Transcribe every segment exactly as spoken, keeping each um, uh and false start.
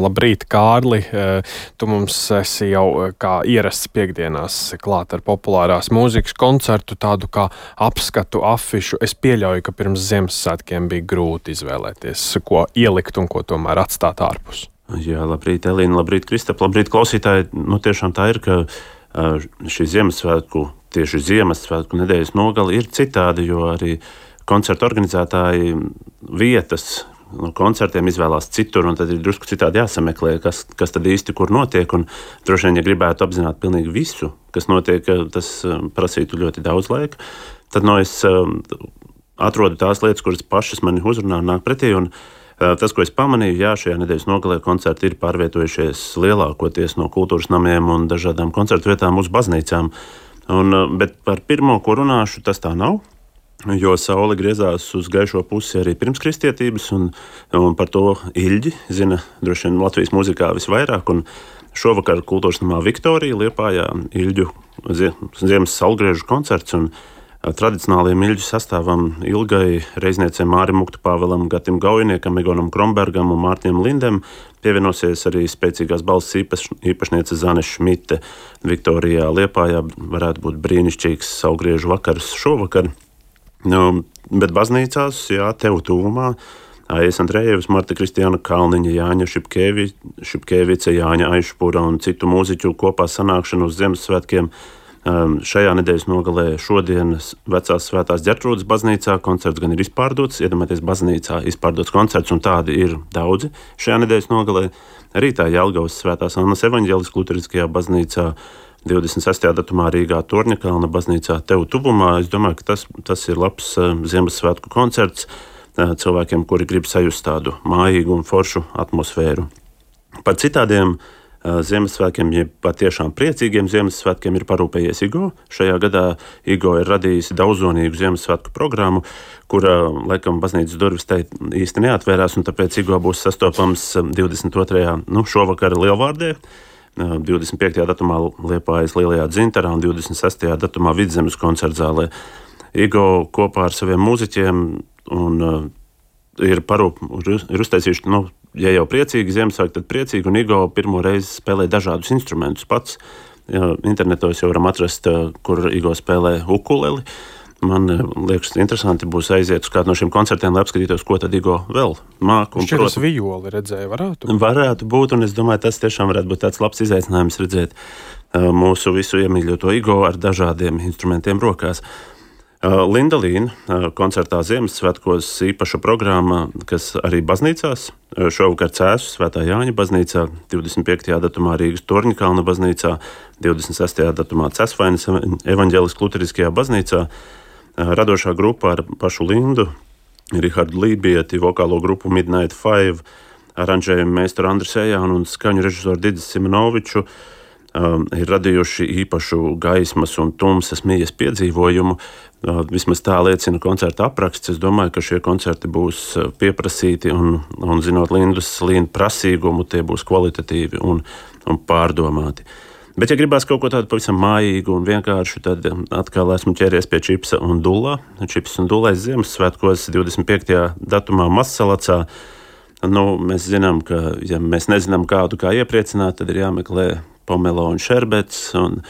Labrīt, Kārli! Tu mums esi jau kā ierasts piekdienās klāt ar populārās mūzikas koncertu, tādu kā apskatu afišu. Es pieļauju, ka pirms Ziemassvētkiem bija grūti izvēlēties, ko ielikt un ko tomēr atstāt ārpus. Jā, labrīt, Elīna, labrīt, Kristap, labrīt, klausītāji. Nu, tiešām tā ir, ka šī Ziemassvētku, tieši Ziemassvētku nedēļas nogali ir citādi, jo arī koncertu organizētāji vietas no koncertiem izvēlās citur, un tad ir drusku citādi jāsameklē, kas, kas tad īsti kur notiek. Un droši vien, ja gribētu apzināt pilnīgi visu, kas notiek, tas prasītu ļoti daudz laika. Tad no es atrodu tās lietas, kuras pašas mani uzrunā un nāk pretī. Un tas, ko es pamanīju, jā, šajā nedēļas nogalē koncerti ir pārvietojušies lielākoties no kultūras namiem un dažādām koncertu vietām uz baznīcām. Un, bet par pirmo, ko runāšu, tas tā nav. Jo saule griezās uz gaišo pusi arī pirms kristietības, un, un par to Ilģi zina droši vien Latvijas mūzikā visvairāk. Un šovakar kultūras namā Viktorija Liepājā Ilģu ziemas saulgriežu koncerts, un tradicionāliem Ilģu sastāvam Ilgai, reizniecēm Mārim Muktu Pāvelam, Gatim Gaujiniekam, Egonam Krombergam un Mārtiņam Lindem pievienosies arī spēcīgās balss īpaš, īpašniece Zane Šmite. Viktorijā Liepājā varētu būt brīnišķīgs saulgriežu vakars šovakar. Nu, bet baznīcās, jā, tev tuvumā, Aijas Andrejevas, Marta Kristiāna Kalniņa, Jāņa Šipkevi, Šipkevice, Jāņa Aišpura un citu mūziķu kopā sanākšanu uz Ziemassvētkiem. Um, šajā nedēļas nogalē šodien Vecās Svētās Ģertrūdes baznīcā koncerts gan ir izpārdots, iedomājieties, baznīcā izpārdots koncerts, un tādi ir daudzi šajā nedēļas nogalē. Rītā Jelgavas Svētās Annas evaņģēliskās luteriskajā baznīcā, divdesmit sestajā datumā Rīgā Torņakalna baznīcā tev tuvumā. Es domāju, ka tas, tas ir labs uh, Ziemassvētku koncerts uh, cilvēkiem, kuri grib sajust tādu mājīgu un foršu atmosfēru. Par citādiem uh, Ziemassvētkiem, ja patiešām priecīgiem Ziemassvētkiem ir parūpējies Igo. Šajā gadā Igo ir radījis daudzonīgu Ziemassvētku programmu, kura, laikam, baznīcas durvis te īsti neatvērās, un tāpēc Igo būs sastopams divdesmit otrajā nu, šovakar Lielvārdē, divdesmit piektajā datumā Liepājas Lielajā Dzintarā un divdesmit sestajā datumā Vidzemes koncertzālē. Igo kopā ar saviem mūziķiem un, uh, ir, parūp, ir uztaisījuši, nu, ja jau priecīgi Ziemassvētki, tad priecīgi, un Igo pirmo reizi spēlē dažādus instrumentus pats. Ja, internetos jau varam atrast, uh, kur Igo spēlē ukuleli. Man liekas, interesanti būs aiziet uz kādu no šiem koncertiem, lai apskatītos, ko tad Igo vēl māk. Šķiet, tas vijoli redzēja, varētu? Varētu būt, un es domāju, tas tiešām varētu būt tāds labs izaicinājums redzēt uh, mūsu visu iemīļoto Igo ar dažādiem instrumentiem rokās. Uh, Linda Līna uh, koncertā Ziemassvētkos īpaša programma, kas arī baznīcās, uh, šovakar Cēsu Svētā Jāņa baznīcā, divdesmit piektajā datumā Rīgas Torņakalna baznīcā, divdesmit sestajā datumā Cēsvainas evaņģēliskās luteriskajā baznīcā. Radošā grupa ar pašu Lindu, Rihardu Lībieti, vokālo grupu Midnight Five, aranžējumu meistaru Andris Ejānu un skaņu režisoru Didis Simonoviču um, ir radījuši īpašu gaismas un tumsas mijas piedzīvojumu. Uh, vismaz tā liecina koncerta apraksts. Es domāju, ka šie koncerti būs pieprasīti un, un zinot Lindus Līnu prasīgumu, tie būs kvalitatīvi un, un pārdomāti. Bet, ja gribās kaut ko tādu pavisam mājīgu un vienkāršu, tad atkal esmu ķēries pie Čipsa un Dullā. Čips un Dullais Ziemassvētkos divdesmit piektajā datumā Mazsalacā. Nu, mēs zinām, ka, ja mēs nezinām kādu kā iepriecināt, tad ir jāmeklē pomelo un šerbets un,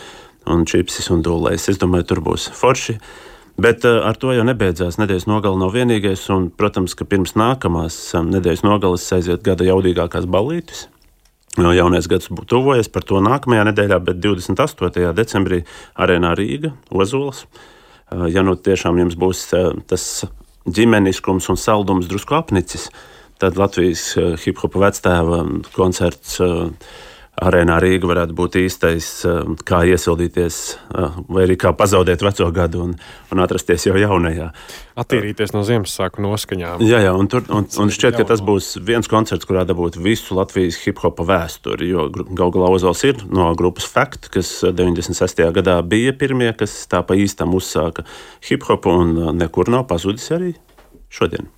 un Čipsis un Dullais. Es domāju, tur būs forši. Bet uh, ar to jau nebeidzās. Nedēļas nogale nav vienīgais, un, protams, ka pirms nākamās um, nedēļas nogales aiziet gada jaudīgākās ballītes. Jaunais gads tuvojas, par to nākamajā nedēļā, bet divdesmit astotajā decembrī Arēnā Rīga, Ozols. Ja nu tiešām jums būs tas ģimeniskums un saldums drusku apnicis, tad Latvijas hip-hopa vectēva koncerts Arēnā Rīga varētu būt īstais, kā iesildīties vai arī kā pazaudēt veco gadu un, un atrasties jau jaunajā. Attīrīties no Ziemassvētku noskaņām. Jā, jā, un, tur, un, un šķiet, ka tas būs viens koncerts, kurā dabūt visu Latvijas hip-hopa vēsturi, jo gal galā Ozols ir no grupas Fact, kas deviņdesmit sestajā gadā bija pirmie, kas tā pa īstam uzsāka hip-hopu un nekur nav pazudis arī šodien.